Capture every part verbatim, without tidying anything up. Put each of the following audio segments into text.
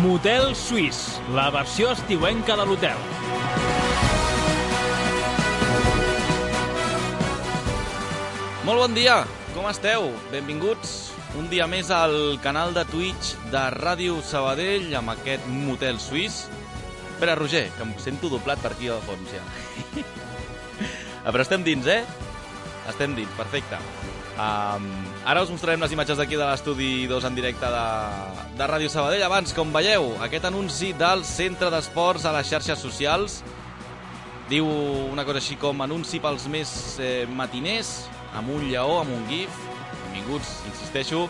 Motel Suís, la versió estiuenca de l'hotel. Molt bon dia, com esteu? Benvinguts un dia més al canal de Twitch de Ràdio Sabadell amb aquest Motel Suís. Espera, Roger, que em sento doblat per aquí al fons ja. Però estem dins, eh? Estem dins, perfecte. Um, ara us mostrarem les imatges d'aquí de l'estudi dos en directe de, de Ràdio Sabadell. Abans, com veieu, aquest anunci del Centre d'Esports a les xarxes socials diu una cosa així com anunci pels més eh, matiners, amb un lleó, amb un gif. Benvinguts, insisteixo,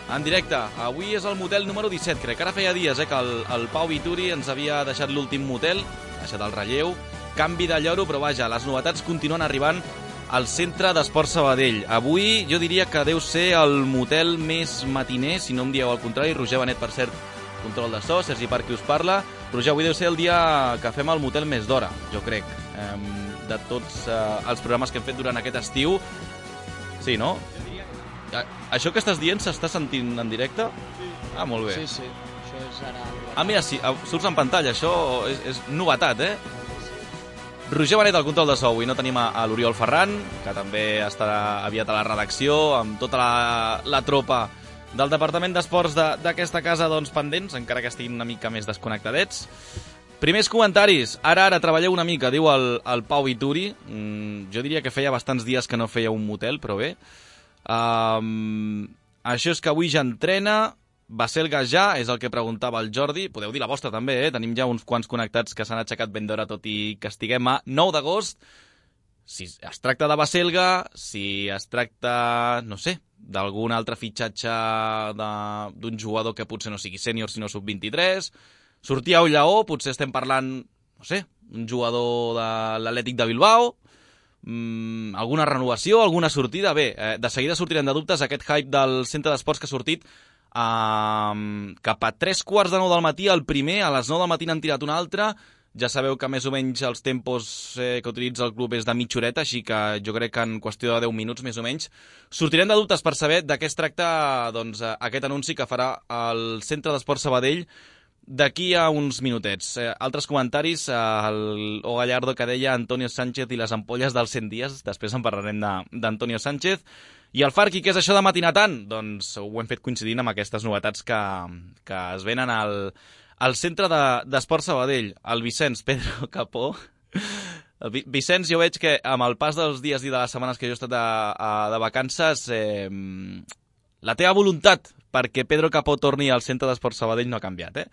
en directe. Avui és el motel número disset, crec que ara feia dies eh, que el, el Pau Vituri ens havia deixat l'últim motel, ha deixat el relleu, canvi de lloro, però vaja, les novetats continuen arribant al Centre d'Esports Sabadell. Avui jo diria que deu ser el motel més matiner, si no em dieu al contrari. Roger Benet, per cert, control de so, Sergi Parc qui us parla. Roger, avui deu ser el dia que fem el motel més d'hora, jo crec, eh, de tots eh, els programes que hem fet durant aquest estiu. Sí, no? Això que estàs dient s'està sentint en directe? Sí. Ah, molt bé. Sí, sí, això és ara... Ah, mira, sí, surts en pantalla, això és, és novetat, eh? Roger Benet al control de so. Avui no tenim a, a l'Oriol Ferran, que també estarà aviat a la redacció, amb tota la, la tropa del Departament d'Esports d'aquesta casa, doncs, pendents, encara que estiguin una mica més desconnectadets. Primers comentaris. Ara, ara, treballeu una mica, diu el, el Pau Vituri. Mm, jo diria que feia bastants dies que no feia un motel, però bé. Um, això és que avui ja entrena. Baselga ja, és el que preguntava el Jordi. Podeu dir la vostra també, eh? Tenim ja uns quants connectats que s'han aixecat ben d'hora, tot i que estiguem a nou d'agost. Si es tracta de Baselga, si es tracta, no sé, d'algun altre fitxatge d'un jugador que potser no sigui sènior, sinó sub vint-i-tres, sortia un lleó, potser estem parlant, no sé, un jugador de l'Atlètic de Bilbao, mm, alguna renovació, alguna sortida. Bé, eh, de seguida sortirem de dubtes aquest hype del Centre d'Esports que ha sortit. Um, cap a tres quarts de nou del matí, el primer, a les nou del matí n'han tirat un altre. Ja sabeu que més o menys els tempos eh, que utilitza el club és de mitja horeta, així que jo crec que en qüestió de deu minuts més o menys sortirem de dubtes per saber de què es tracta, doncs, aquest anunci que farà el Centre d'Esports Sabadell d'aquí a uns minutets. Eh, altres comentaris, eh, el O Gallardo que deia Antonio Sánchez i les ampolles dels cent dies, després en parlarem d'Antonio Sánchez. I el Farqui, què és això de matinar tant? Doncs ho hem fet coincidint amb aquestes novetats que, que es venen al, al Centre d'Esports de, Sabadell. El Vicenç, Pedro Capó. El Vicenç, jo veig que amb el pas dels dies i de les setmanes que jo he estat de, de vacances, eh, la teva voluntat perquè Pedro Capó torni al Centre d'Esports Sabadell no ha canviat, eh?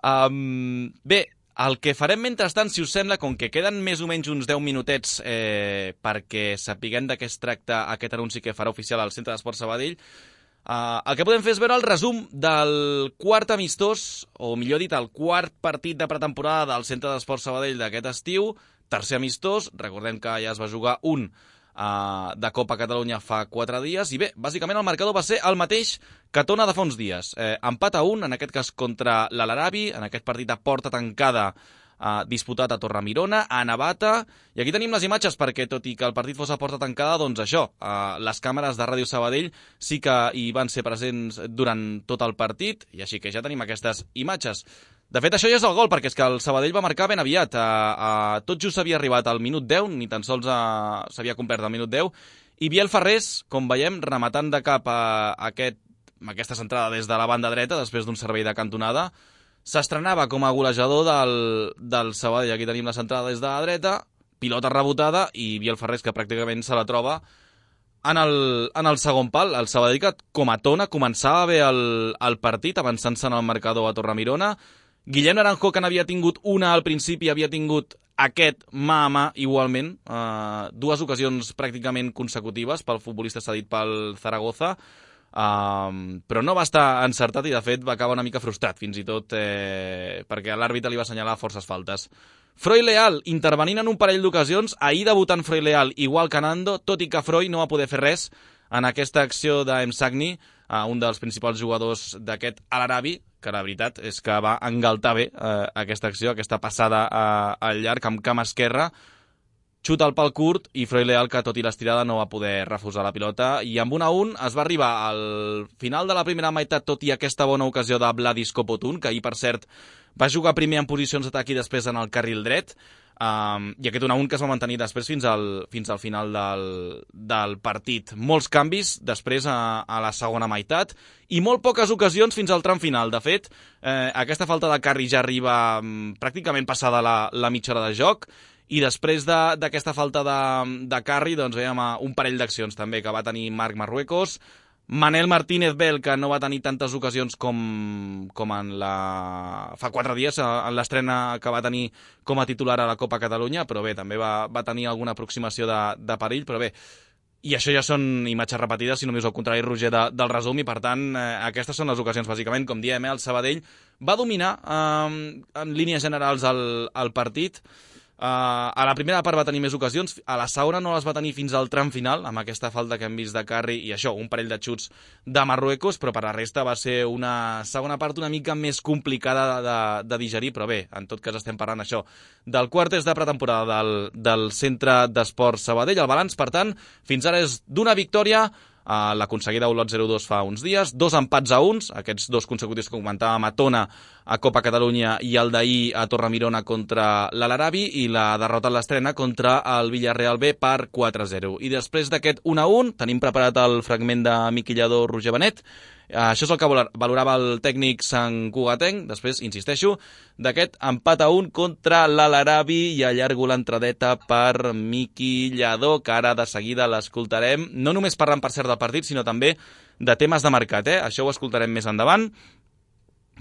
Um, bé, el que farem mentrestant, si us sembla, com que queden més o menys uns deu minutets eh, perquè sapiguem de què es tracta aquest anunci que farà oficial al Centre d'Esports Sabadell, eh, el que podem fer és veure el resum del quart amistós, o millor dit, el quart partit de pretemporada del Centre d'Esports Sabadell d'aquest estiu, tercer amistós, recordem que ja es va jugar un Uh, de Copa Catalunya fa quatre dies, i bé, bàsicament el marcador va ser el mateix que Tona de fa uns dies. Eh, empat a un, en aquest cas contra l'Alarabi, en aquest partit a porta tancada uh, disputat a Torremirona, a Navata, i aquí tenim les imatges perquè, tot i que el partit fos a porta tancada, doncs això, uh, les càmeres de Ràdio Sabadell sí que hi van ser presents durant tot el partit, i així que ja tenim aquestes imatges. De fet, això ja és el gol, perquè és que el Sabadell va marcar ben aviat. A, a, tot just s'havia arribat al minut deu, ni tan sols s'havia complert el minut deu, i Biel Ferrés, com veiem, rematant de cap a, a aquest, a aquesta centrada des de la banda dreta, després d'un servei de cantonada, s'estrenava com a golejador del, del Sabadell. Aquí tenim la centrada des de la dreta, pilota rebotada, i Biel Ferrés, que pràcticament se la troba en el, en el segon pal. El Sabadell, que com a Tona començava bé el, el partit, avançant-se en el marcador a Torremirona. Guillem Naranjo, que n'havia tingut una al principi, havia tingut aquest mà a mà igualment, uh, dues ocasions pràcticament consecutives pel futbolista cedit pel Zaragoza, uh, però no va estar encertat i de fet va acabar una mica frustrat, fins i tot eh, perquè l'àrbitre li va assenyalar forces faltes. Freud Leal, intervenint en un parell d'ocasions, ahir debutant Freud Leal igual que Nando, tot i que Freud no va poder fer res en aquesta acció d'Emsagni, uh, un dels principals jugadors d'aquest Alarabi, que la veritat és que va engaltar bé eh, aquesta acció, aquesta passada eh, al llarg amb cama esquerra. xuta al pal curt i Freud Leal, que tot i l'estirada no va poder refusar la pilota, i amb un a un es va arribar al final de la primera meitat, tot i aquesta bona ocasió de Vladis Kopotun, que ahir, per cert, va jugar primer en posicions d'atac i després en el carril dret, um, i aquest un a un que es va mantenir després fins al, fins al final del, del partit. Molts canvis després a, a la segona meitat i molt poques ocasions fins al tram final. De fet, eh, aquesta falta de Carri ja arriba um, pràcticament passada la, la mitja hora de joc, i després d'aquesta de, falta de, de Carri, doncs veiem un parell d'accions també que va tenir Marc Marruecos, Manel Martínez Bel, que no va tenir tantes ocasions com, com en la... fa quatre dies, en l'estrena que va tenir com a titular a la Copa Catalunya, però bé, també va, va tenir alguna aproximació de, de perill, però bé, i això ja són imatges repetides, si només al contrari, Roger, de, del resum, i per tant, eh, aquestes són les ocasions, bàsicament, com diem, eh, el Sabadell va dominar eh, en línies generals el, el partit. Uh, a la primera part va tenir més ocasions, a la segona no les va tenir fins al tram final, amb aquesta falta que hem vist de Carri i això, un parell de xuts de Marruecos, però per la resta va ser una segona part una mica més complicada de, de, de digerir, però bé, en tot cas estem parlant això del quart test de pretemporada del, del Centre d'Esports Sabadell. El balanç, per tant, fins ara és d'una victòria, Uh, l'aconseguida a Olot zero dos fa uns dies, dos empats a uns, aquests dos consecutius que comentàvem a Tona a Copa Catalunya i el d'ahir a Torremirona contra l'Alarabi, i la derrota a l'estrena contra el Villarreal B per quatre a zero. I després d'aquest un a un tenim preparat el fragment de Miqui Lladó, Roger Benet. Això és el que valorava el tècnic santcugatenc, després, insisteixo, d'aquest empat a un contra l'Alarabi, i allargo l'entradeta per Miqui Lladó, que ara de seguida l'escoltarem, no només parlant, per cert, del partit, sinó també de temes de mercat, eh? Això ho escoltarem més endavant,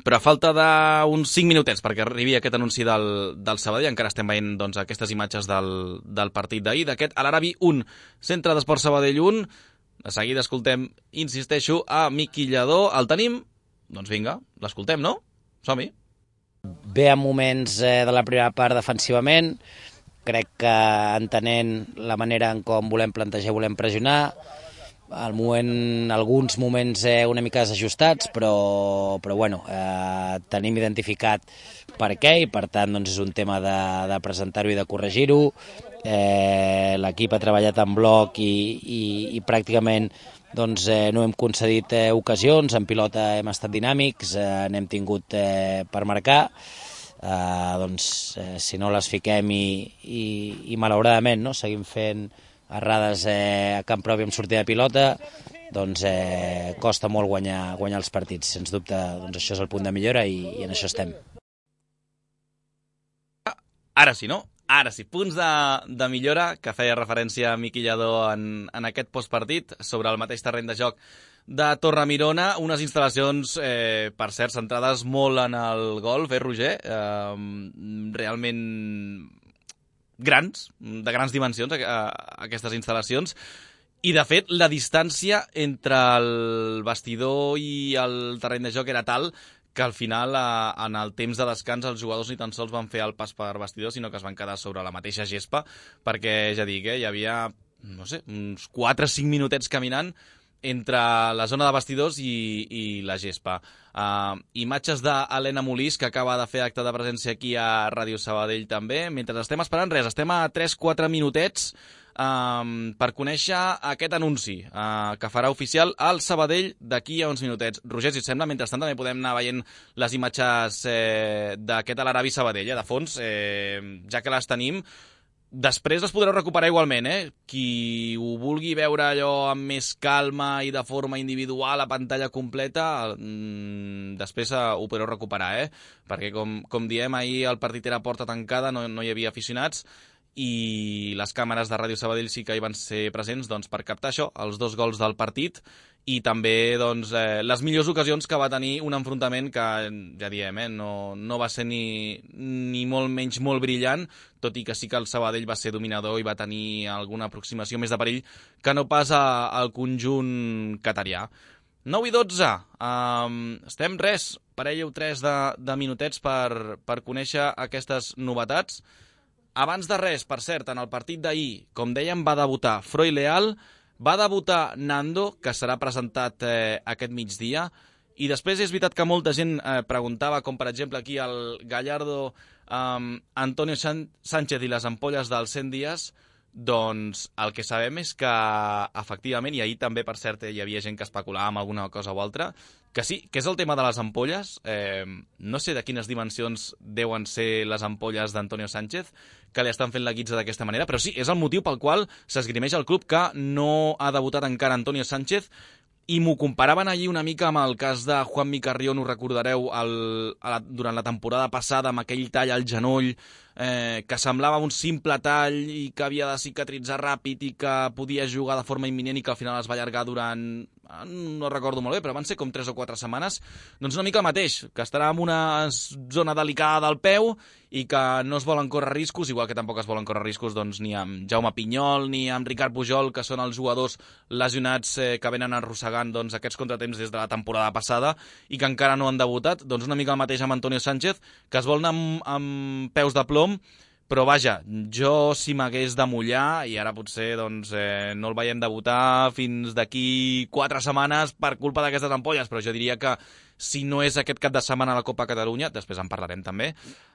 però a falta d'uns cinc minutets perquè arribi aquest anunci del, del Sabadell, encara estem veient doncs, aquestes imatges del, del partit d'ahir, d'aquest Alarabi un, Centre d'Esports Sabadell un. De seguida escoltem, insisteixo, a Miqui Lladó. El tenim? Doncs vinga, l'escoltem, no? Som-hi. Bé en moments eh, de la primera part defensivament, crec que entenent la manera en com volem plantejar, volem pressionar, al moment, alguns moments eh, una mica desajustats, però, però bueno, eh, tenim identificat per què, i per tant doncs, és un tema de, de presentar-ho i de corregir-ho. Eh, l'equip ha treballat en bloc i, i, i pràcticament doncs, eh, no hem concedit eh, ocasions, en pilota hem estat dinàmics, eh, n'hem tingut eh, per marcar, eh, doncs eh, si no les fiquem i, i, i malauradament no, seguim fent errades eh, a camp propi amb sortida de pilota, doncs eh, costa molt guanyar, guanyar els partits. Sens dubte, doncs això és el punt de millora i, i en això estem. Ara sí, no? Ara sí, punts de, de millora, que feia referència a Miqui Lladó en, en aquest postpartit, sobre el mateix terreny de joc de Torremirona, unes instal·lacions, eh, per cert, centrades molt en el golf, eh, Roger? Eh, realment grans, de grans dimensions, a, a, aquestes instal·lacions. I, de fet, la distància entre el vestidor i el terreny de joc era tal que al final, a, en el temps de descans, els jugadors ni tan sols van fer el pas per vestidor, sinó que es van quedar sobre la mateixa gespa, perquè, ja dic, eh, hi havia, no sé, uns quatre o cinc minutets caminant entre la zona de vestidors i, i la gespa. Uh, imatges d'Helena Molís, que acaba de fer acte de presència aquí a Ràdio Sabadell també. Mentre estem esperant res, estem a tres o quatre minutets um, per conèixer aquest anunci uh, que farà oficial el Sabadell d'aquí a uns minutets. Roger, si et sembla, mentrestant també podem anar veient les imatges eh, d'aquest Alarabi Sabadell, eh, de fons, eh, ja que les tenim. Després les podreu recuperar igualment, eh? Qui ho vulgui veure allò amb més calma i de forma individual a pantalla completa, mmm, després ho podreu recuperar, eh? Perquè, com, com diem, ahir el partit era a porta tancada, no, no hi havia aficionats, i les càmeres de Ràdio Sabadell sí que hi van ser presents doncs, per captar això, els dos gols del partit, i també doncs, eh, les millors ocasions que va tenir un enfrontament que, ja diem, eh, no, no va ser ni, ni molt menys molt brillant, tot i que sí que el Sabadell va ser dominador i va tenir alguna aproximació més de perill que no pas a, al conjunt catarià. nou i dotze, um, estem res, parell o tres de, de minutets per, per conèixer aquestes novetats. Abans de res, per cert, en el partit d'ahir, com dèiem, va debutar Freud Leal, va debutar Nando, que serà presentat eh, aquest migdia, i després és veritat que molta gent eh, preguntava, com per exemple aquí el Gallardo, eh, Antonio Sánchez i les ampolles dels cent dies, doncs el que sabem és que, efectivament, i ahir també, per cert, hi havia gent que especulava amb alguna cosa o altra, que sí, que és el tema de les ampolles. Eh, no sé de quines dimensions deuen ser les ampolles d'Antonio Sánchez, que li estan fent la guitza d'aquesta manera, però sí, és el motiu pel qual s'esgrimeix el club que no ha debutat encara Antonio Sánchez, i m'ho comparaven allí una mica amb el cas de Juanmi Carrión, ho recordareu, el, a la, durant la temporada passada, amb aquell tall al genoll, eh, que semblava un simple tall i que havia de cicatritzar ràpid i que podia jugar de forma imminent i que al final es va allargar durant, no recordo molt bé, però van ser com tres o quatre setmanes. Doncs una mica el mateix, que estarà en una zona delicada del peu i que no es volen córrer riscos, igual que tampoc es volen córrer riscos doncs, ni amb Jaume Pinyol ni amb Ricard Pujol, que són els jugadors lesionats eh, que venen arrossegant doncs, aquests contratemps des de la temporada passada i que encara no han debutat. Doncs una mica el mateix amb Antonio Sánchez, que es vol anar amb, amb peus de plom, però vaja, jo si m'hagués de mullar, i ara potser doncs, eh, no el veiem debutar fins d'aquí quatre setmanes per culpa d'aquestes ampolles, però jo diria que si no és aquest cap de setmana a la Copa Catalunya, després en parlarem també,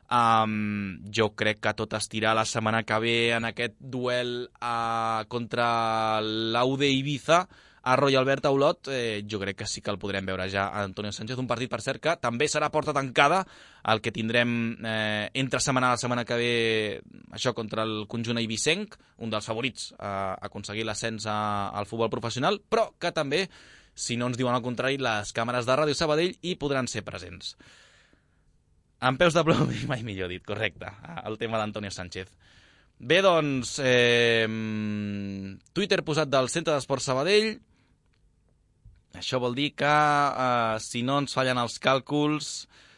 um, jo crec que tot estirar la setmana que ve en aquest duel uh, contra l'U D Ibiza a Royal Albert a Olot, eh, jo crec que sí que el podrem veure ja a Antonio Sánchez, un partit, per cert, que també serà porta tancada, el que tindrem eh, entre setmana la setmana que ve, això contra el conjunt eivissenc, un dels favorits a aconseguir l'ascens al futbol professional, però que també, si no ens diuen el contrari, les càmeres de Ràdio Sabadell hi podran ser presents. Amb peus de plom, mai millor dit, correcte, el tema d'Antonio Sánchez. Bé, doncs, eh, Twitter posat del Centre d'Esports Sabadell. Això vol dir que, eh, si no ens fallen els càlculs,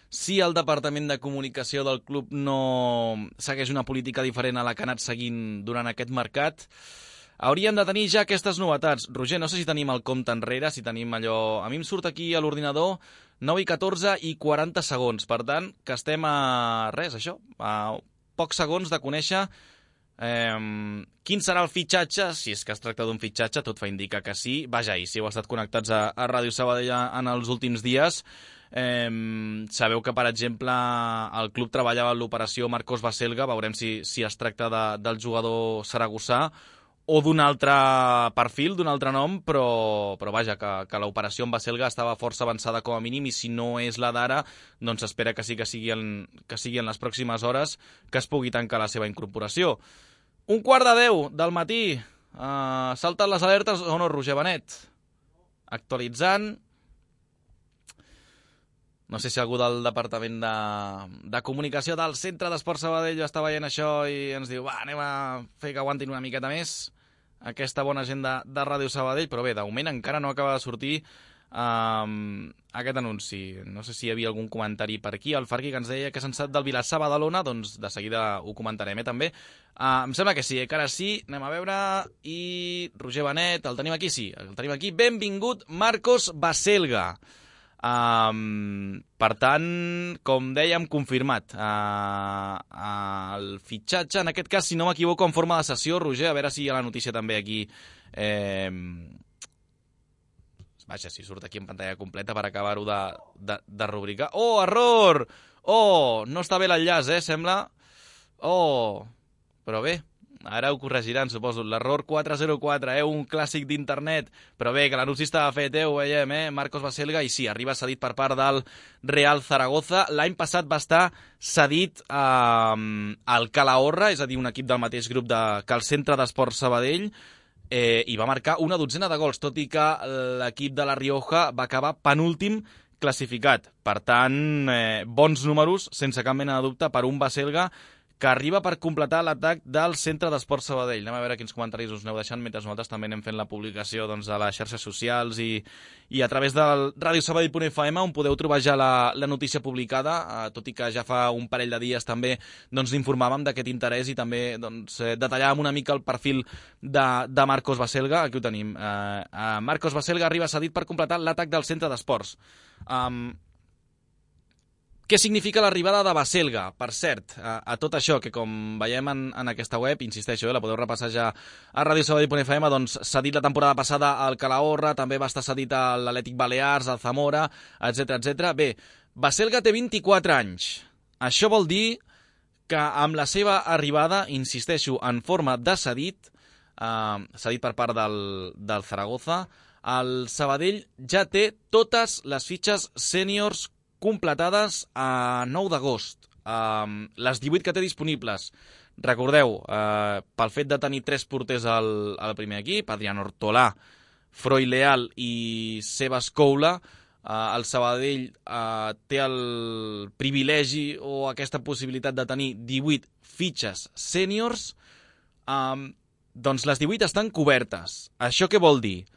si el Departament de Comunicació del club no segueix una política diferent a la que ha anat seguint durant aquest mercat, hauríem de tenir ja aquestes novetats. Roger, no sé si tenim el compte enrere, si tenim allò... A mi em surt aquí a l'ordinador nou i catorze i quaranta segons. Per tant, que estem a res, això, a pocs segons de conèixer Eh, quin serà el fitxatge, si és que es tracta d'un fitxatge, tot fa indicar que sí. Vaja, i si heu estat connectats a, a Ràdio Sabadell en els últims dies, eh, sabeu que, per exemple, el club treballava en l'operació Marcos Baselga. Veurem si, si es tracta de, del jugador saragossà o d'un altre perfil, d'un altre nom, però, però vaja, que, que l'operació amb Baselga estava força avançada com a mínim, i si no és la d'ara, doncs espera que sí que sigui, en, que sigui en les pròximes hores que es pugui tancar la seva incorporació. Un quart de deu del matí, uh, salten les alertes o no, Roger Benet? Actualitzant. No sé si algú del Departament de, de Comunicació del Centre d'Esports Sabadell està veient això i ens diu, va, anem a fer que aguantin una miqueta més aquesta bona gent de, de Ràdio Sabadell, però bé, de moment encara no acaba de sortir um, aquest anunci. No sé si hi havia algun comentari per aquí. El Farqui, que ens deia que se'n sap del Vilassar Badalona, doncs de seguida ho comentarem, eh, també. Uh, em sembla que sí, eh, que ara sí, anem a veure, i Roger Benet, el tenim aquí, sí, el tenim aquí. Benvingut, Marcos Baselga. Um, per tant, com dèiem, confirmat uh, uh, el fitxatge, en aquest cas, si no m'equivoco, en forma de sessió. Roger, a veure si hi ha la notícia també aquí. Eh, vaja, si surt aquí en pantalla completa per acabar-ho de, de, de rubricar. Oh, error! Oh, no està bé l'enllaç, eh, sembla. Oh, però bé, ara ho corregiran, suposo. L'error quatre zero quatre, eh? Un clàssic d'internet. Però bé, que l'anunci estava fet, eh? Ho veiem, eh? Marcos Baselga, i sí, arriba cedit per part del Real Zaragoza. L'any passat va estar cedit eh, al Calahorra, és a dir, un equip del mateix grup de, que el Centre d'Esports Sabadell, eh, i va marcar una dotzena de gols, tot i que l'equip de la Rioja va acabar penúltim classificat. Per tant, eh, bons números, sense cap mena de dubte, per un Baselga que arriba per completar l'atac del Centre d'Esports Sabadell. Anem a veure quins comentaris us aneu deixant mentre nosaltres també anem fent la publicació doncs, de les xarxes socials i, i a través del radio sabadell punt f m, on podeu trobar ja la, la notícia publicada, eh, tot i que ja fa un parell de dies també doncs, informàvem d'aquest interès i també doncs, eh, detallàvem una mica el perfil de, de Marcos Baselga. Aquí ho tenim. Eh, eh, Marcos Baselga arriba cedit per completar l'atac del Centre d'Esports. Um, Què significa l'arribada de Baselga? Per cert, a, a tot això, que com veiem en, en aquesta web, insisteixo, eh, la podeu repassar ja a radio sabadell punt f m, doncs cedit la temporada passada al Calahorra, també va estar cedit a l'Atlètic Balears, al Zamora, etcètera, etcètera. Bé, Baselga té vint-i-quatre anys. Això vol dir que amb la seva arribada, insisteixo, en forma de cedit, eh, cedit per part del, del Zaragoza. El Sabadell ja té totes les fitxes sèniors completades a nou d'agost. Eh, les divuit que té disponibles. Recordeu, eh, pel fet de tenir tres porters al, al primer equip, Adrián Ortolà, Froi Leal i Sebas Coula, Uh, el Sabadell uh, té el privilegi o aquesta possibilitat de tenir divuit fitxes sèniors, um, doncs les divuit estan cobertes. Això què vol dir?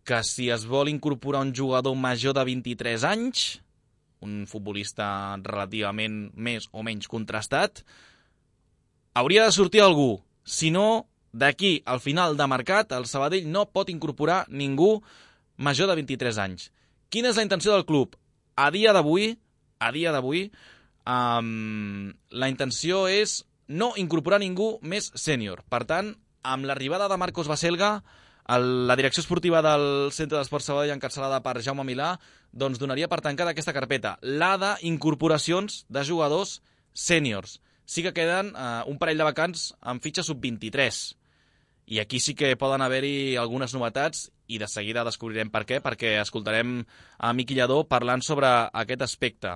Que si es vol incorporar un jugador major de vint-i-tres anys, un futbolista relativament més o menys contrastat, hauria de sortir algú. Si no, d'aquí al final de mercat, el Sabadell no pot incorporar ningú major de vint-i-tres anys. Quina és la intenció del club? A dia d'avui, a dia d'avui, um, la intenció és no incorporar ningú més sènior. Per tant, amb l'arribada de Marcos Baselga, el, la direcció esportiva del Centre d'Esports Sabadell, encapçalada per Jaume Milà, doncs donaria per tancada aquesta carpeta, la d'incorporacions de jugadors sèniors. Sí que queden uh, un parell de vacants amb fitxa sub vint-i-tres. I aquí sí que poden haver-hi algunes novetats i de seguida descobrirem per què, perquè escoltarem a Miqui Lladó parlant sobre aquest aspecte.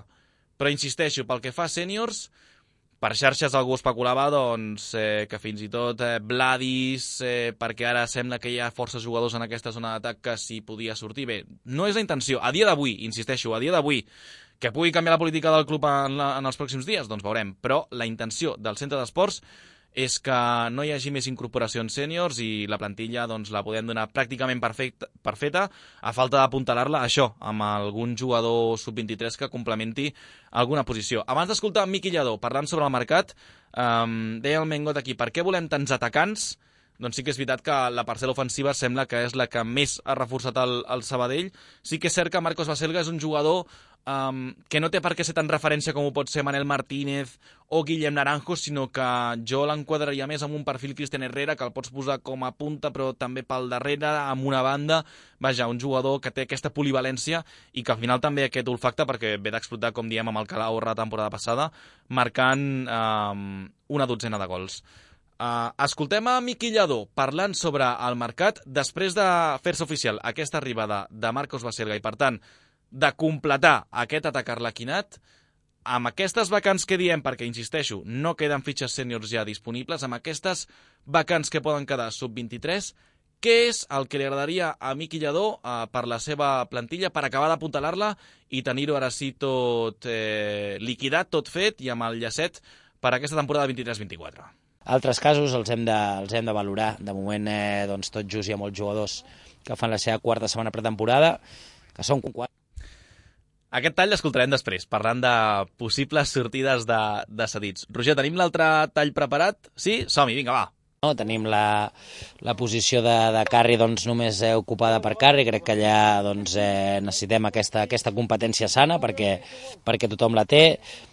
Però insisteixo, pel que fa a sèniors, per xarxes algú especulava doncs, eh, que fins i tot eh, Vladis, eh, perquè ara sembla que hi ha força jugadors en aquesta zona d'atac que s'hi podia sortir. Bé, no és la intenció. A dia d'avui, insisteixo, a dia d'avui, que pugui canviar la política del club en, la, en els pròxims dies, doncs veurem. Però la intenció del Centre d'Esports és que no hi hagi més incorporacions sèniors i la plantilla doncs, la podem donar pràcticament perfecta, perfeta, a falta d'apuntalar-la, això, amb algun jugador sub vint-i-tres que complementi alguna posició. Abans d'escoltar Miqui Lladó parlant sobre el mercat, um, deia el Mengot aquí, per què volem tants atacants? Doncs sí que és veritat que la parcel·la ofensiva sembla que és la que més ha reforçat el, el Sabadell. Sí que és cert que Marcos Baselga és un jugador um, que no té per què ser tan referència com ho pot ser Manel Martínez o Guillem Naranjo, sinó que jo l'enquadraria més amb un perfil Cristian Herrera, que el pots posar com a punta però també pel darrere, amb una banda. Vaja, un jugador que té aquesta polivalència i que al final també aquest olfacte, perquè ve d'explotar, com diem, amb el Calahorra la temporada passada, marcant um, una dotzena de gols. Uh, escoltem a Miqui Lladó parlant sobre el mercat després de fer-se oficial aquesta arribada de Marcos Baselga i, per tant, de completar aquest atac arlequinat amb aquestes vacants que diem, perquè, insisteixo, no queden fitxes sèniors ja disponibles, amb aquestes vacants que poden quedar sub vint-i-tres, què és el que li agradaria a Miqui Lladó uh, per la seva plantilla, per acabar d'apuntalar-la i tenir-ho ara sí tot eh, liquidat, tot fet i amb el llacet per aquesta temporada vint-i-tres vint-i-quatre. Altres casos els hem de, els hem de valorar. De moment, eh, doncs, tot just hi ha molts jugadors que fan la seva quarta setmana pretemporada, que són quatre. Aquest tall l'escoltarem després, parlant de possibles sortides de, de cedits. Roger, tenim l'altre tall preparat? Sí? Som-hi, vinga, va. No, tenim la, la posició de, de Carri doncs, només eh, ocupada per Carri. Crec que allà doncs, eh, necessitem aquesta, aquesta competència sana perquè, perquè tothom la té.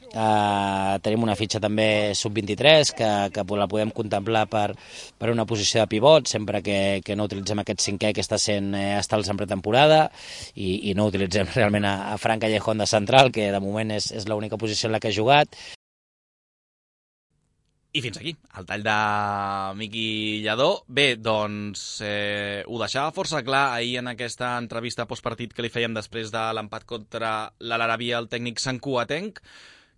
Uh, tenim una fitxa també sub vint-i-tres que, que la podem contemplar per, per una posició de pivot sempre que, que no utilitzem aquest cinquè que està sent eh, estals en pretemporada i, i no utilitzem realment a, a Fran Callejón de central, que de moment és, és l'única posició en la que ha jugat. I fins aquí, el tall de Miqui Lladó. Bé, doncs eh, ho deixava força clar ahir en aquesta entrevista postpartit que li fèiem després de l'empat contra l'Alarabi, el tècnic santcugatenc,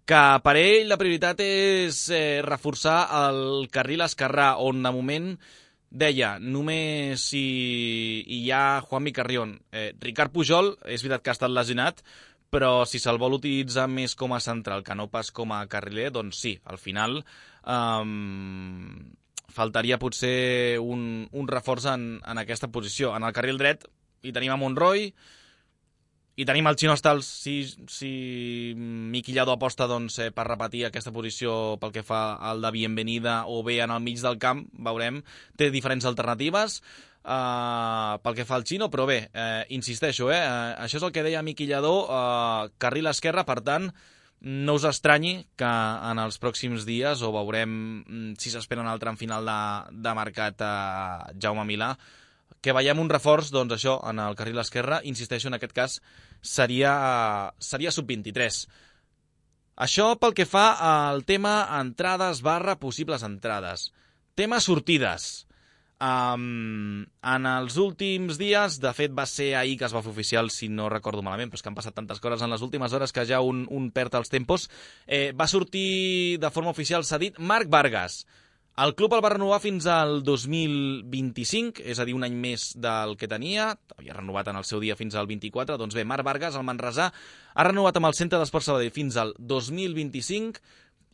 que per ell la prioritat és eh, reforçar el carril esquerrà, on de moment deia només hi, hi ha Juanmi Carrión. Eh, Ricard Pujol, és veritat que ha estat lesionat, però si se'l vol utilitzar més com a central que no pas com a carriler, doncs sí, al final um, faltaria potser un, un reforç en, en aquesta posició. En el carril dret hi tenim a Monroy, i tenim el Chino Stals, si, si Miqui Lladó aposta doncs, eh, per repetir aquesta posició pel que fa al de Bienvenida o bé en el mig del camp, veurem, té diferents alternatives uh, pel que fa al Chino, però bé, eh, insisteixo, eh, uh, això és el que deia Miqui Lladó, uh, carril esquerre, per tant, no us estranyi que en els pròxims dies, o veurem si s'espera en el tram final de, de mercat a uh, Jaume Milà, que veiem un reforç, doncs això, en el carril esquerre, insisteixo, en aquest cas, seria, seria sub vint-i-tres. Això pel que fa al tema entrades barra possibles entrades. Tema sortides. Um, en els últims dies, de fet va ser ahir que es va fer oficial, si no recordo malament, però és que han passat tantes coses en les últimes hores que ja un, un perd els tempos, eh, va sortir de forma oficial cedit Marc Vargas. El club el va renovar fins al dos mil vint-i-cinc, és a dir, un any més del que tenia, havia renovat en el seu dia fins al vint-i-quatre, doncs bé, Marc Vargas, el manresà, ha renovat amb el Centre d'Esport Sabadell fins al dos mil vint-i-cinc,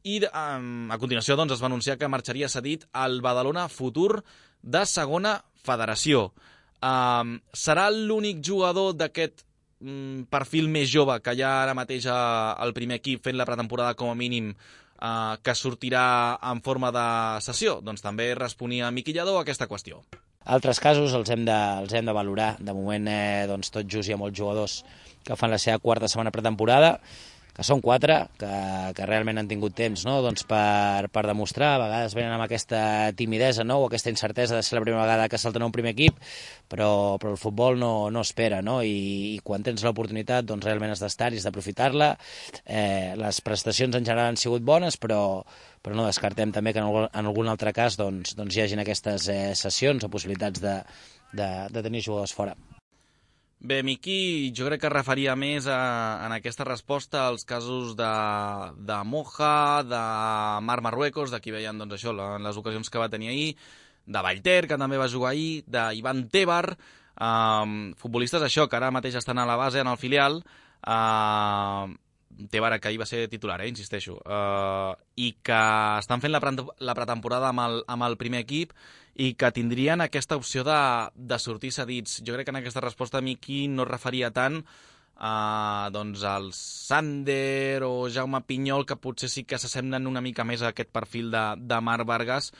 i um, a continuació doncs, es va anunciar que marxaria cedit al Badalona Futur de segona federació. Um, serà l'únic jugador d'aquest um, perfil més jove que hi ha ara mateix al primer equip fent la pretemporada com a mínim uh, que sortirà en forma de sessió? Doncs també responia Miqui Lladó a aquesta qüestió. Altres casos els hem de, els hem de valorar. De moment, eh, doncs, tot just hi ha molts jugadors que fan la seva quarta setmana pretemporada, que són quatre, que, que realment han tingut temps, no? doncs per, per demostrar. A vegades venen amb aquesta timidesa, no? o aquesta incertesa de ser la primera vegada que salten a un primer equip, però, però el futbol no, no espera, no? I, i quan tens l'oportunitat doncs realment has d'estar i has d'aprofitar-la. Eh, les prestacions en general han sigut bones, però, però no descartem també que en algun, en algun altre cas doncs, doncs hi hagin aquestes eh, sessions o possibilitats de, de, de tenir jugadors fora. Bé, Miqui, jo crec que referia més a, en aquesta resposta als casos de, de Moja, de Marc Marruecos, d'aquí veien doncs, això, en les ocasions que va tenir ahir, de Vallter, que també va jugar ahir, d'Ivan Tebar, um, futbolistes això, que ara mateix estan a la base, en el filial, uh, Tebar, que ahir va ser titular, eh, insisteixo, uh, i que estan fent la, pre la pretemporada amb el, amb el primer equip, i que tindrien aquesta opció de, de sortir cedits. Jo crec que en aquesta resposta Miqui no referia tant a, doncs, al Sander o Jaume Pinyol, que potser sí que s'assemblen una mica més a aquest perfil de, de Marc Vargas,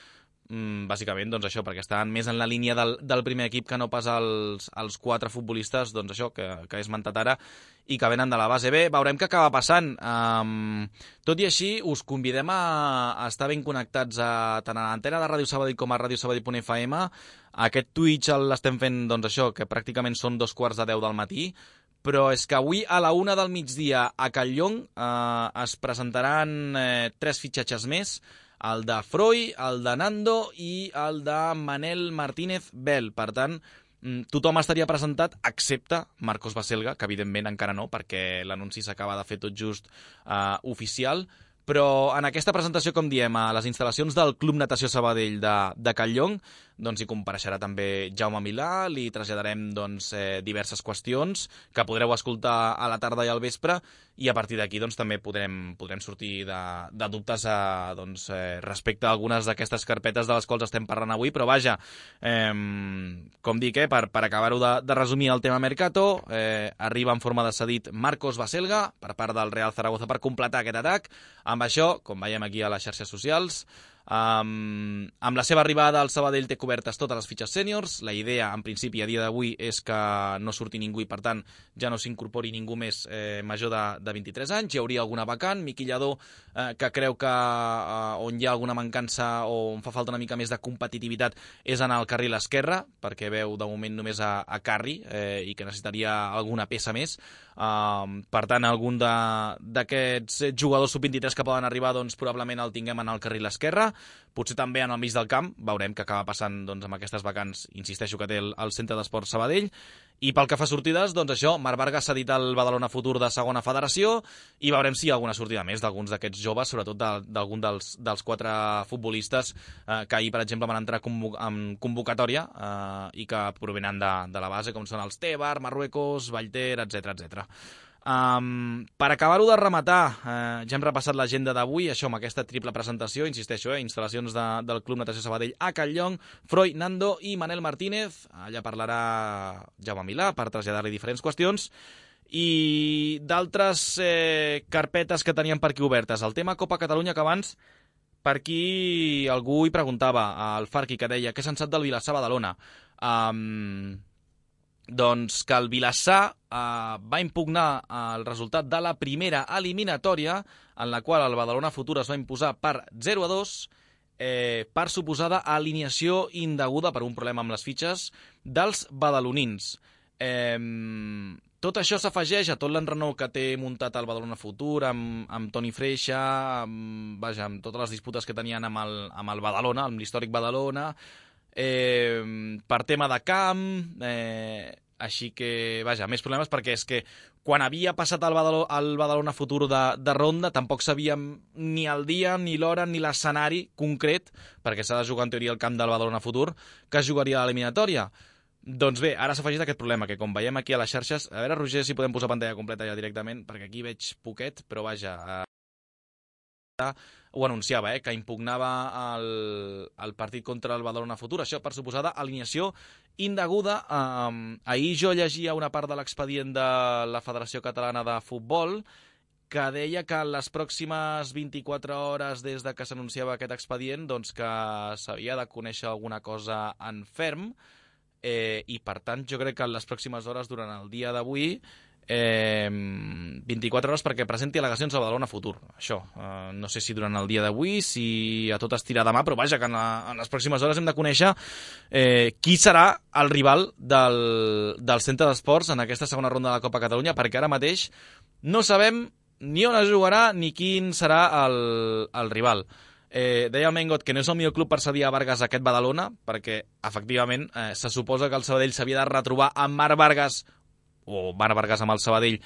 mm, bàsicament doncs això, perquè estan més en la línia del, del primer equip que no pas els, els quatre futbolistes doncs això que, que he esmentat ara i que venen de la base. Bé, veurem què acaba passant. Um, tot i així, us convidem a, a estar ben connectats a, tant a l'antena de Ràdio Sabadell com a ràdio sabadell punt f m. Aquest Twitch l'estem fent, doncs això, que pràcticament són dos quarts de deu del matí, però és que avui a la una del migdia a Catlllong eh, es presentaran eh, tres fitxatges més, el de Froi, el de Nando i el de Manel Martínez Bel. Per tant, tothom estaria presentat, excepte Marcos Baselga, que evidentment encara no, perquè l'anunci s'acaba de fer tot just uh, oficial, però en aquesta presentació, com diem, a les instal·lacions del Club Natació Sabadell de, de Catlllong, doncs hi compareixerà també Jaume Milà, li traslladarem doncs, eh, diverses qüestions que podreu escoltar a la tarda i al vespre, i a partir d'aquí doncs, també podrem, podrem sortir de, de dubtes a, doncs, eh, respecte a algunes d'aquestes carpetes de les quals estem parlant avui, però vaja, eh, com dic, eh, per, per acabar-ho de, de resumir el tema Mercato, eh, arriba en forma de cedit Marcos Baselga per part del Real Zaragoza per completar aquest atac. Amb això, com veiem aquí a les xarxes socials, Um, amb la seva arribada al Sabadell té cobertes totes les fitxes sèniors. La idea, en principi, a dia d'avui és que no surti ningú i, per tant, ja no s'incorpori ningú més eh, major de, de vint-i-tres anys. Hi hauria alguna vacant. Miqui Lladó, eh, que creu que eh, on hi ha alguna mancança o on fa falta una mica més de competitivitat és en el carril esquerre, perquè veu de moment només a, a Carri eh, i que necessitaria alguna peça més. Uh, per tant, algun d'aquests jugadors sub vint-i-tres que poden arribar, doncs probablement el tinguem en el carril esquerre, potser també en el mig del camp. Veurem què acaba passant doncs, amb aquestes vacants, insisteixo, que té el, el Centre d'Esport Sabadell. I pel que fa a sortides, doncs això, Marc Vargas s'ha dit al Badalona Futur de segona federació, i veurem si hi ha alguna sortida més d'alguns d'aquests joves, sobretot d'algun de, dels, dels quatre futbolistes eh, que ahir, per exemple, van entrar convo en convocatòria eh, i que provenen de, de la base, com són els Tebar, Marruecos, Vallter, etcètera, etcètera. Um, per acabar-ho de rematar, eh, ja hem repassat l'agenda d'avui, això amb aquesta triple presentació, insisteixo, eh, instal·lacions de, del Club Natació Sabadell a Catlllong, Froi, Nando i Manel Martínez. Allà parlarà Jaume Milà per traslladar-li diferents qüestions i d'altres eh, carpetes que teníem per aquí obertes. El tema Copa Catalunya, que abans per aquí algú hi preguntava, al Farqui, que deia què se'n sap del Vilassar Badalona. Um, doncs que el Vilassar eh, va impugnar el resultat de la primera eliminatòria, en la qual el Badalona Futur es va imposar per zero a dos, eh, per suposada alineació indeguda per un problema amb les fitxes dels badalonins. Eh, tot això s'afegeix a tot l'enrenou que té muntat el Badalona Futur amb, amb Toni Freixa, amb, vaja, amb totes les disputes que tenien amb el, amb el Badalona, amb l'històric Badalona. eh, per tema de camp, eh, així que, vaja, més problemes perquè és que quan havia passat el Badalona, el Badalona Futur de, de ronda tampoc sabíem ni el dia, ni l'hora, ni l'escenari concret, perquè s'ha de jugar en teoria al camp del Badalona Futur, que es jugaria a l'eliminatòria. Doncs bé, ara s'ha afegit aquest problema, que com veiem aquí a les xarxes, a veure, Roger, si podem posar pantalla completa ja directament, perquè aquí veig poquet, però vaja, eh, ho anunciava, eh, que impugnava el, el partit contra el Badalona Futur. Això, per suposada, alineació indeguda. Eh, ahir jo llegia una part de l'expedient de la Federació Catalana de Futbol, que deia que en les pròximes vint-i-quatre hores des de que s'anunciava aquest expedient, doncs que s'havia de conèixer alguna cosa en ferm, Eh, i per tant jo crec que en les pròximes hores durant el dia d'avui eh, vint-i-quatre hores perquè presenti al·legacions al Badalona Futur, això eh, no sé si durant el dia d'avui, si a tot estirar demà, però vaja que en, la, en les pròximes hores hem de conèixer eh, qui serà el rival del, del Centre d'Esports en aquesta segona ronda de la Copa Catalunya, perquè ara mateix no sabem ni on es jugarà ni quin serà el, el rival. Eh, deia el Mengot que no és el millor club per cedir a Vargas aquest Badalona, perquè, efectivament, eh, se suposa que el Sabadell s'havia de retrobar amb Marc Vargas, o Marc Vargas amb el Sabadell,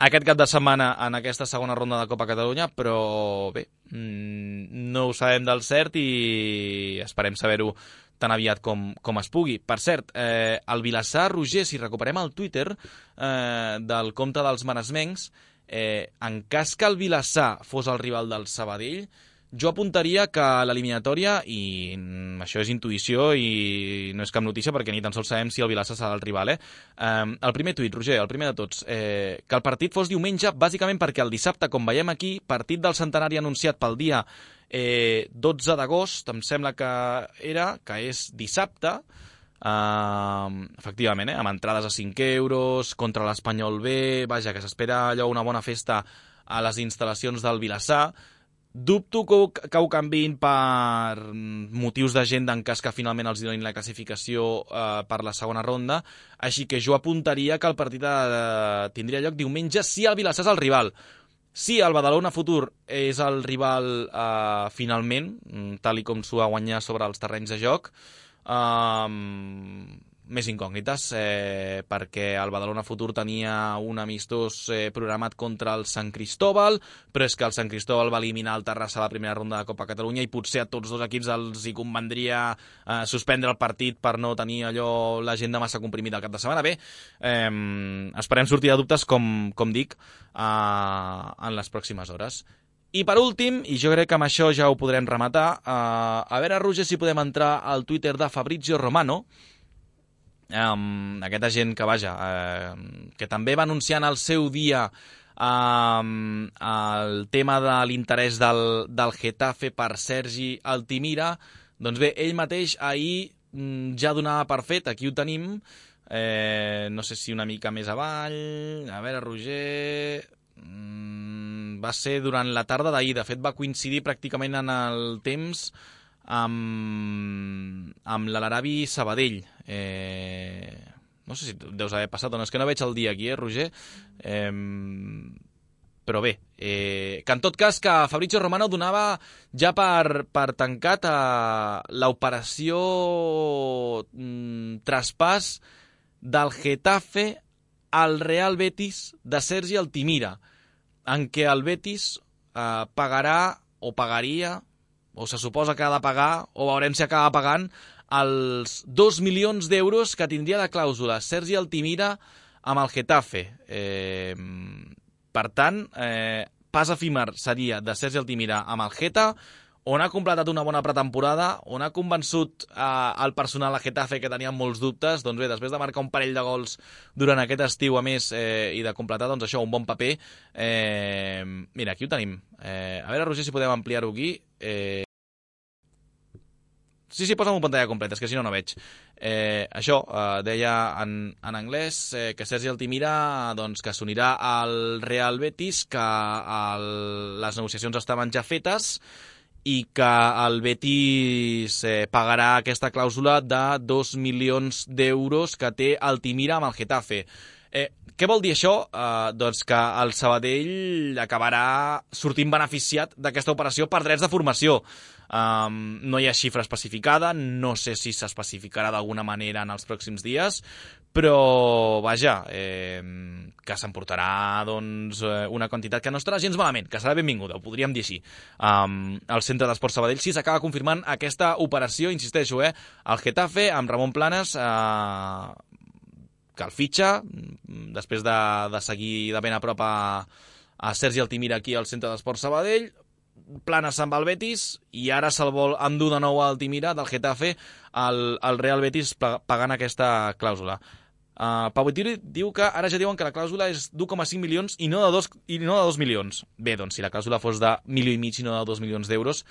aquest cap de setmana en aquesta segona ronda de Copa Catalunya, però bé, no ho sabem del cert i esperem saber-ho tan aviat com, com es pugui. Per cert, eh, el Vilassar, Roger, si recuperem el Twitter eh, del compte dels maresmencs, eh, en cas que el Vilassar fos el rival del Sabadell, jo apuntaria que l'eliminatòria, i això és intuïció i no és cap notícia perquè ni tan sols sabem si el Vilassar serà el rival, eh? Um, el primer tuit, Roger, el primer de tots, eh, que el partit fos diumenge, bàsicament perquè el dissabte, com veiem aquí, partit del centenari anunciat pel dia eh, dotze d'agost, em sembla que era, que és dissabte, Uh, efectivament, eh, amb entrades a cinc euros, contra l'Espanyol B, vaja, que s'espera allò una bona festa a les instal·lacions del Vilassar. Dubto que ho, que ho canviïn per motius d'agenda en cas que finalment els donin la classificació eh, per la segona ronda, així que jo apuntaria que el partit eh, tindria lloc diumenge si el Vilassar és el rival. Si el Badalona Futur és el rival eh, finalment, tal i com s'ho va guanyar sobre els terrenys de joc, eh, més incògnites, eh, perquè el Badalona Futur tenia un amistós eh, programat contra el Sant Cristóbal, però és que el Sant Cristóbal va eliminar el Terrassa a la primera ronda de Copa Catalunya i potser a tots dos equips els hi convendria eh, suspendre el partit per no tenir allò l'agenda massa comprimida al cap de setmana. Bé, eh, esperem sortir de dubtes, com, com dic, eh, en les pròximes hores. I per últim, i jo crec que amb això ja ho podrem rematar, eh, a veure, Roger, si podem entrar al Twitter de Fabrizio Romano, Um, aquest agent que, vaja, uh, que també va anunciar en el seu dia um, el tema de l'interès del, del Getafe per Sergi Altimira. Doncs bé, ell mateix ahir um, ja donava per fet, aquí ho tenim, eh, no sé si una mica més avall, a veure, Roger, um, va ser durant la tarda d'ahir, de fet va coincidir pràcticament en el temps amb, amb l'Alarabi Sabadell. Eh, no sé si deus haver passat o no, és que no veig el dia aquí, eh, Roger? Eh, però bé, eh, que en tot cas que Fabrizio Romano donava ja per, per tancat l'operació mm, traspàs del Getafe al Real Betis de Sergi Altimira, en què el Betis eh, pagarà o pagaria, o se suposa que ha de pagar, o veurem si acaba pagant, els dos milions d'euros que tindria de clàusula Sergi Altimira amb el Getafe. Eh, per tant, eh, pas efímer seria de Sergi Altimira amb el Geta, on ha completat una bona pretemporada, on ha convençut eh, el personal a Getafe que tenia molts dubtes. Doncs bé, després de marcar un parell de gols durant aquest estiu, a més, eh, i de completar, doncs això, un bon paper. Eh, mira, aquí ho tenim. Eh, a veure, Roger, si podem ampliar-ho aquí. Eh, Sí, sí, posa'm una pantalla completa, és que si no, no veig. Eh, això, eh, deia en, en anglès eh, que Sergi Altimira doncs, que s'unirà al Real Betis, que el, les negociacions estaven ja fetes i que el Betis eh, pagarà aquesta clàusula de dos milions d'euros que té Altimira amb el Getafe. Eh, què vol dir això? Eh, doncs que el Sabadell acabarà sortint beneficiat d'aquesta operació per drets de formació. Um, no hi ha xifra especificada, no sé si s'especificarà d'alguna manera en els pròxims dies, però, vaja, eh, que s'emportarà doncs, una quantitat que no estarà gens malament, que serà benvinguda, ho podríem dir així. Um, el Centre d'Esports Sabadell sí s'acaba confirmant aquesta operació, insisteixo, eh, el Getafe, amb Ramon Planes, eh, que el fitxa, després de, de seguir de ben a prop a, a Sergi Altimira aquí al Centre d'Esports Sabadell. Planes se'n va al Betis i ara se'l vol endur de nou a Altimira del Getafe al, al Real Betis pagant aquesta clàusula. Uh, Pau Vitiri diu que ara ja diuen que la clàusula és d'u coma cinc milions i no de dos, i no de dos milions. Bé, doncs si la clàusula fos de milió i mig i no de dos milions d'euros,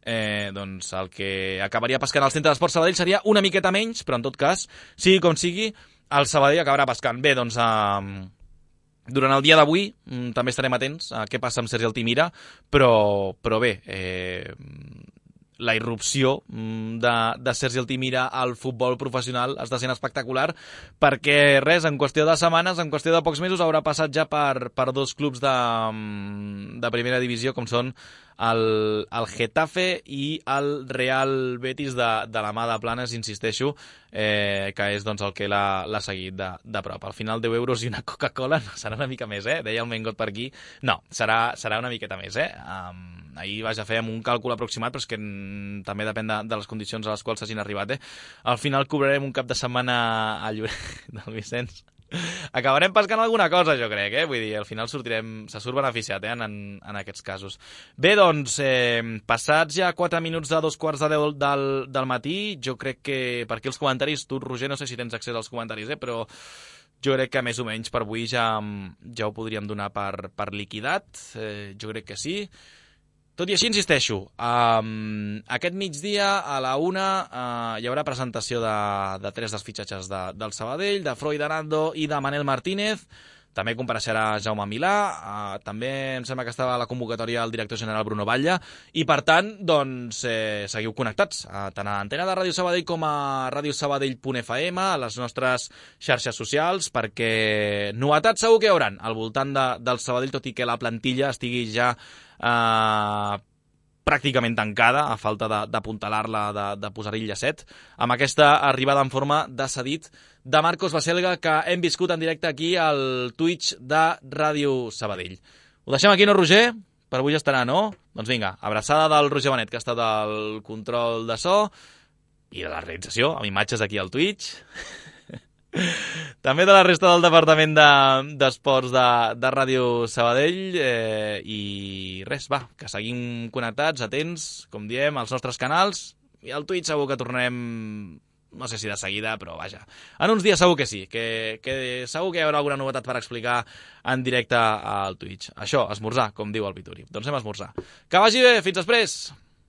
eh, doncs el que acabaria pescant al Centre d'Esports Sabadell seria una miqueta menys, però en tot cas, sigui com sigui, el Sabadell acabarà pescant. Bé, doncs... Uh, Durant el dia d'avui mm, també estarem atents a què passa amb Sergi Altimira, però, però bé, eh, la irrupció mm, de, de Sergi Altimira al futbol professional està sent espectacular perquè res, en qüestió de setmanes, en qüestió de pocs mesos, haurà passat ja per, per dos clubs de, de primera divisió com són el, el Getafe i el Real Betis de, de la mà de Planes, insisteixo, eh, que és doncs, el que l'ha seguit de, de prop. Al final deu euros i una Coca-Cola no, serà una mica més, eh? Deia el Mengot per aquí. No, serà, serà una miqueta més, eh? Um, ahir vaig a fer un càlcul aproximat, però és que mm, també depèn de, de les condicions a les quals s'hagin arribat, eh? Al final cobrarem un cap de setmana a Lloret del Vicenç. Acabarem pescant alguna cosa, jo crec, eh? Vull dir, al final sortirem, se surt beneficiat, eh? En, en aquests casos. Bé, doncs, eh, passats ja quatre minuts de dos quarts de deu del, del matí, jo crec que per aquí els comentaris, tu, Roger, no sé si tens accés als comentaris, eh? Però jo crec que més o menys per avui ja, ja ho podríem donar per, per liquidat, eh, jo crec que sí. Tot i així, insisteixo, um, aquest migdia a la una uh, hi haurà presentació de, de tres dels fitxatges de, del Sabadell, de Freud Arando i de Manel Martínez. També compareixerà Jaume Milà, uh, també em sembla que estava a la convocatòria el director general Bruno Batlle, i per tant, doncs, eh, seguiu connectats, uh, tant a Antena de Ràdio Sabadell com a radiosabadell punt f m, a les nostres xarxes socials, perquè novetats segur que hi hauran al voltant de, del Sabadell, tot i que la plantilla estigui ja Uh, pràcticament tancada, a falta d'apuntalar-la, de, de, de posar-hi el llacet, amb aquesta arribada en forma de cedit de Marcos Baselga, que hem viscut en directe aquí al Twitch de Ràdio Sabadell. Ho deixem aquí, no, Roger? Per avui ja estarà, no? Doncs vinga, abraçada del Roger Benet, que ha estat al control de so i de la realització, amb imatges aquí al Twitch. També de la resta del departament d'esports de, de, de Ràdio Sabadell, eh, i res, va, que seguim connectats, atents, com diem, als nostres canals, i al Twitch segur que tornem, no sé si de seguida, però vaja, en uns dies segur que sí, que, que segur que hi haurà alguna novetat per explicar en directe al Twitch. Això, esmorzar, com diu el Vituri. Doncs anem a esmorzar. Que vagi bé, fins després!